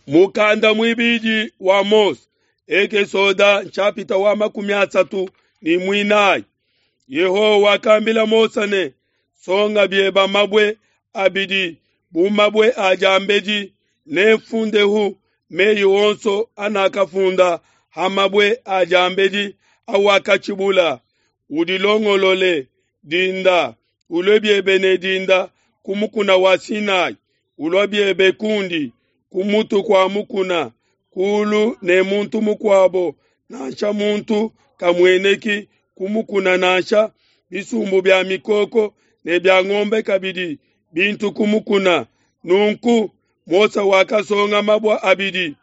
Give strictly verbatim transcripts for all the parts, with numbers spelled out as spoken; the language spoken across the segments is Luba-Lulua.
Mukanda muibidi wa Mose, Ekesoda nshapita wa makumi asatu ne muinayi. Yehowa wakambila Mose ne, songa bieba mabue abidi bu mabue a diambedi, nemfundehu meyi onso anakafunda ha mabue a diambedi awakatshibula. Udilongolole dinda, ulue biebe ne dinda ku mukuna wa Sinai, ulua biebe kundi ku mutu kua mukuna, kulu ne muntu mukuabo, nansha muntu kamueneki ku mukuna nansha bisumbu bia mikoko ne bia ngombe kabidi bintu ku mukuna. Nunku Mose wakasonga mabue abidi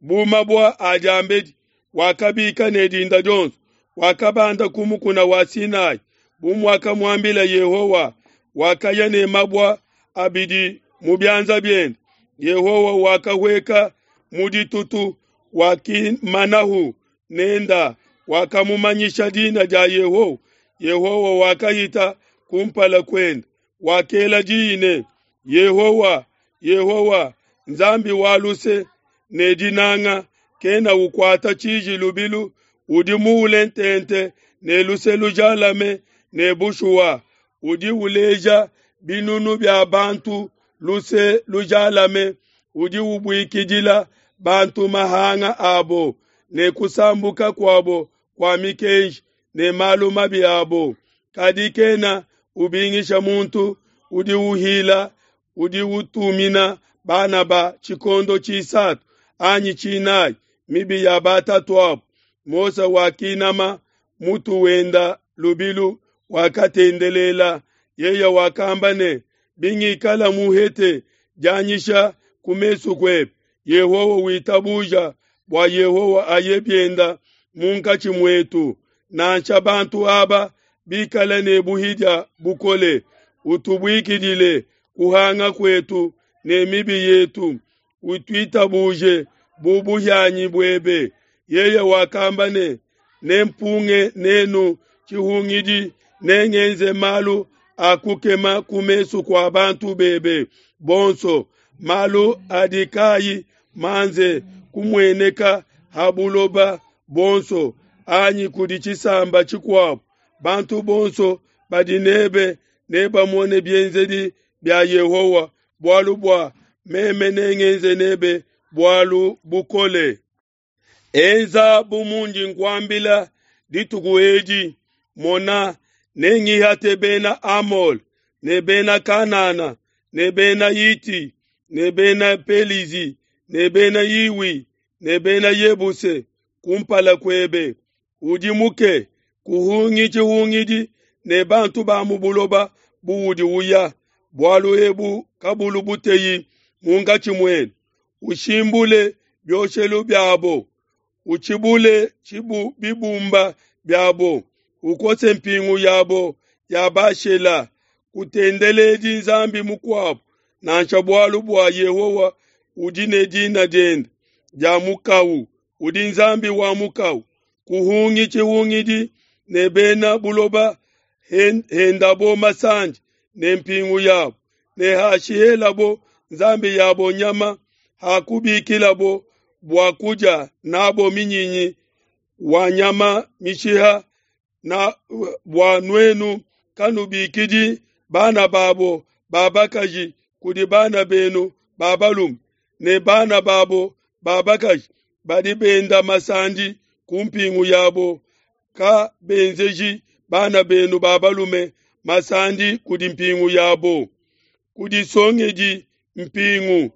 bu mabue a diambedi, wakabika ne dinda dionso, wakabanda ku mukuna wa Sinai bu muakamuambila Yehowa. Wakaya ne mabue abidi mu bianza biende. Yehowa wakahueka mu ditutu, wakimanahu nenda, wakamumanyisha dina dia Yehowa. Yehowa wakahita kumpala kuende, wakela diyi ne, Yehowa, Yehowa, Nzambi wa luse ne dinanga, kena ukuata tshiji lubilu, udi muule ntente ne luse lujalame ne bushuwa, udi uleja binunu bia bantu luse lujalame, udi ubuikidila bantu mahanga abo ne kusambuka kuabo kua mikenji ne malu mabi abo. Kadi kena ubingisha muntu udi uhila, udi utumina bana ba tshikondo tshisatu anyi tshinayi mibi ya batatuabo. Mose wakinama mutu wenda lubilu, wakatendelela. Yeye wakamba ne, bingikala muhete dianyisha ku mesu kuebe, Yehowa witabuja bua Yehowa aye bienda munkatshi muetu, nansha bantu aba bikala ne buhidia bukole, utubuikidile kuhanga kuetu ne mibi yetu, utuitabuje bu buhianyi buebe. Yeye wakamba ne, nempunge nenu tshihungidi, nengenze malu a kukema ku mesu kua bantu bebe bonso, malu adi kayi manze kumueneka ha buloba buonso anyi kudi tshisamba tshikuabo. Bantu bonso badi nebe nebamone bienzedi bia Yehowa, bualu bua meme nengenze nebe bualu bukole. Enza bu mundi nkuambila dituku edi. Mona, nengihate bena Amole ne bena Kanana ne bena Hiti ne bena Pelizi ne bena Hiwi ne bena Yebuse kumpala kuebe. Udimuke, kuhungi tshihungidi ne bantu ba mu buloba buudi uya, bualu ebu kabulu buteyi munkatshi muenu. Ushimbule bioshelu biabo, utshibule tshibu bibumba biabo, ukose mpingu yabo ya Bashela. Kutendeledi nzambi mukuabo nansha, bualu bua Yehowa udi ne dina diende dia mukawu, udi Nzambi wa mukawu. Kuhungi tshihungidi ne bena buloba hendabo masandi ne mpingu yabo, ne hashihelabo nzambi yabo nyama, hakubikilabo bua kudia nabo minyinyi wa nyama mishiha, na bua nuenu kanubikidi bana babo ba bakaji kudi bana benu ba balume, ne bana babo ba bakaji badi benda masandi ku mpingu yabo, ka benzeji bana benu ba balume masandi kudi mpingu yabo. Kudisongedi mpingu,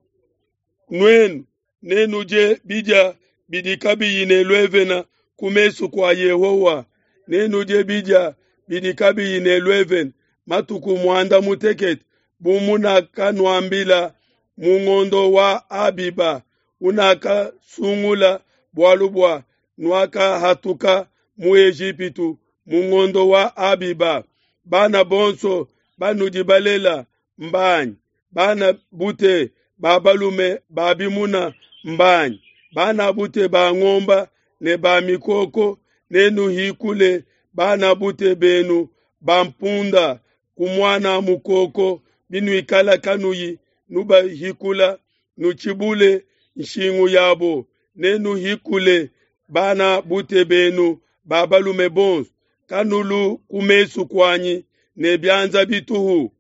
nuenu nenudie bidia bidi kabiyi ne luevena ku mesu kua Yehowa, nenudie bidia bidi kabiyi ne luevena matuku muanda mutekete, bu munakanuambila mu ngondo wa Abiba unakasungula, bualu bua nuakahatuka mu Ejipitu mu ngondo wa Abiba. Bana bonso banudi balela mbanyi, bana bute ba balume ba bimuna mbanyi, bana bute ba ngomba ne ba mikoko, nenuhikule bana bute benu ba mpunda ku muana mukoko, binuikala kanuyi nubahikula, nutshibule nshingu yabo, nenuhikule bana bute benu ba balume bonso. Kanulu ku mesu kuanyi ne bianza bituhu.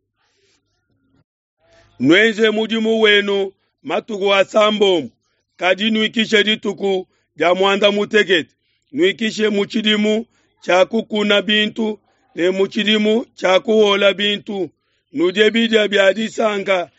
Nuenze mudimu wenu matuku asambombo, kadi nuikishe dituku dia muanda mutekete. Nuikishe mu tshidimu tshia kukuna bintu ne mu tshidimu tshia kuhuola bintu. Nudie bidia bia disanka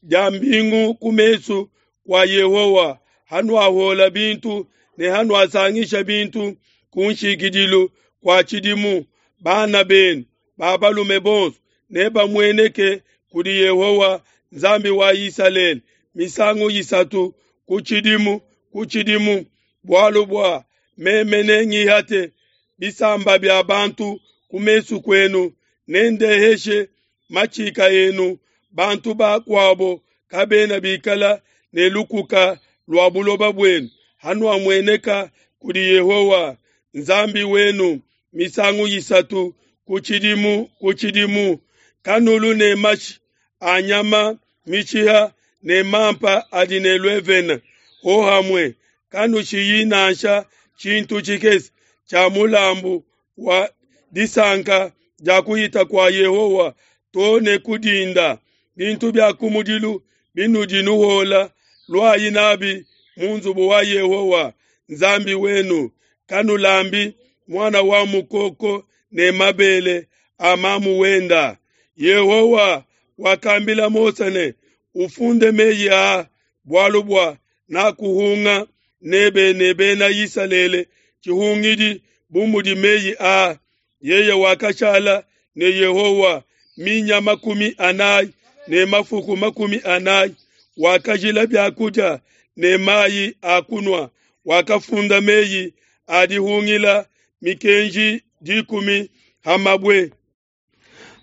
dia mbingu ku mesu kua Yehowa hanuahuola bintu ne hanuasangisha bintu ku nshikidilu kua tshidimu. Bana benu ba balume bonso nebamueneke kudi Yehowa Nzambi wa Isalele misangu isatu ku tshidimu ku tshidimu, bualu bua meme nengihate bisamba bia bantu ku mesu kuenu, nendeheshe matshika enu. Bantu bakuabo kabena bikala ne lukuka lua buloba buenu hanuamueneka kudi Yehowa Nzambi wenu misangu isatu ku tshidimu ku tshidimu. Kanulu ne mashi a nyama mishiha ne mampa adi ne luevene hohamue. Kanushiyi nansha tshintu tshikese tshia mulambu wa disanka dia kuhita kua Yehowa to ne ku dinda. Bintu bia kumudilu binudi nuhuola, luayi nabi mu nzubu wa Yehowa Nzambi wenu. Kanulambi muana wa mukoko ne mabele a mamu wenda. Yehowa wakambila Mose ne, ufunde meyi aa, bualu bua nakuhunga nebe ne Bena Isalele tshihungidi bu mudi meyi aa. Yeye wakashala ne Yehowa minya makumi anayi ne mafuku makumi anayi, wakajila biakudia ne mayi a kunua, wakafunda meyi a dihungila mikenji dikumi ha mabue.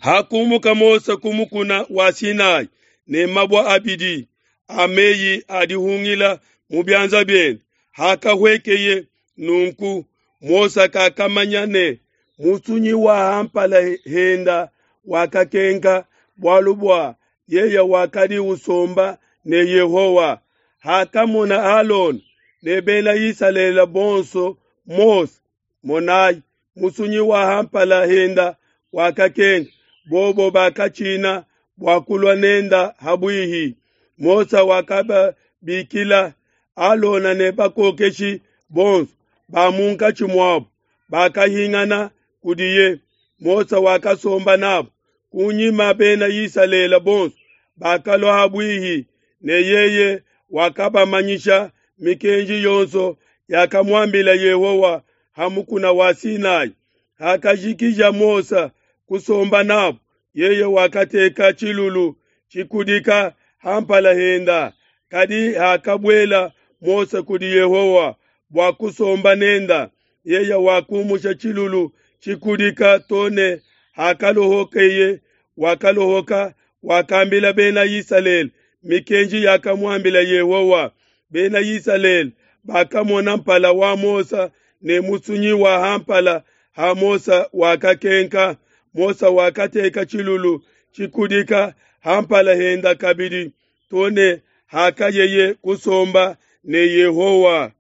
Hakumuka Mose ku mukuna wa Sinai ne mabue abidi a meyi a dihungila mu bianza biende, hakahuekeye nunku, Mose kakamanya ne musunyi wa hampala henda wakakenka, bualu bua yeye wakadi usomba ne Yehowa. Hakamona Alona ne Bena Isalele bonso Mose, monai, musunyi wa hampala henda wakakenka, bobo bakatshina bua kulua nenda habuihi. Mose wakababikila Alona ne bakokeshi bonso ba munkatshi muabo, bakahingana kudiye. Mose wakasomba nabo. Kunyima Bena Isalele bonso bakalua habuihi ne yeye wakabamanyisha mikenji yonso yakamuambila Yehowa ha mukuna wa Sinai. Hakajikija Mose kusomba nabo, yeye wakateka tshilulu tshikudika hampala henda. Kadi hakabuela Mose kudi Yehowa bua kusomba nenda, yeye wakumusha tshilulu tshikudika to ne hakalohokeye. Wakalohoka, wakambila Bena Isalele mikenji yakamuambila Yehowa. Bena Isalele bakamona mpala wa Mose ne musunyi wa hampala ha Mose wakakenka. Mose wakateka tshilulu tshikudika hampala henda kabidi to ne hakayeye kusomba ne Yehowa.